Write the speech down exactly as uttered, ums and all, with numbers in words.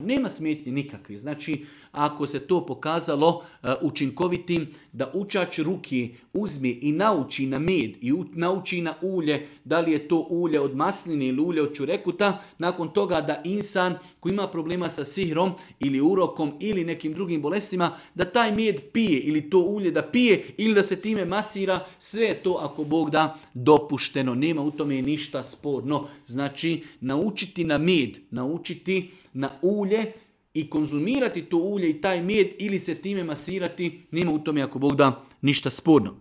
Nema smetnje nikakvi. Znači, ako se to pokazalo uh, učinkovitim, da učač ruki uzme i nauči na med i u, nauči na ulje, da li je to ulje od masline ili ulje od čurekuta, nakon toga da insan koji ima problema sa sihrom ili urokom ili nekim drugim bolestima, da taj med pije ili to ulje da pije ili da se time masira, sve je to ako Bog da dopušteno. Nema u tome ništa sporno. Znači, naučiti na med, naučiti na ulje i konzumirati to ulje i taj med ili se time masirati, nema u tome ako Bog da ništa sporno.